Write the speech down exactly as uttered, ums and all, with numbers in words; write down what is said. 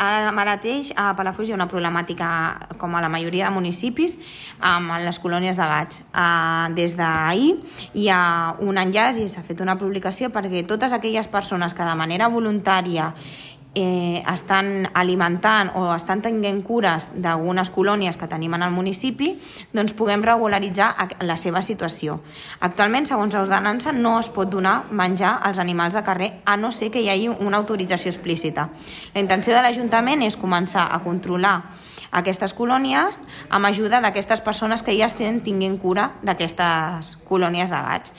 Ara mateix a Palafolls hi ha una problemàtica, com a la majoria de municipis, amb les colònies de gats. Des d'ahir hi ha un enllaç i s'ha fet una publicació perquè totes aquelles persones que de manera voluntària Eh, estan alimentant o estan tenint cures d'algunes colònies que tenim en el municipi, doncs puguem regularitzar la seva situació. Actualment, segons l'ordenança, no es pot donar menjar als animals de carrer a no ser que hi hagi una autorització explícita. La intenció de l'Ajuntament és començar a controlar aquestes colònies amb ajuda d'aquestes persones que ja estan tinguent cura d'aquestes colònies de gats.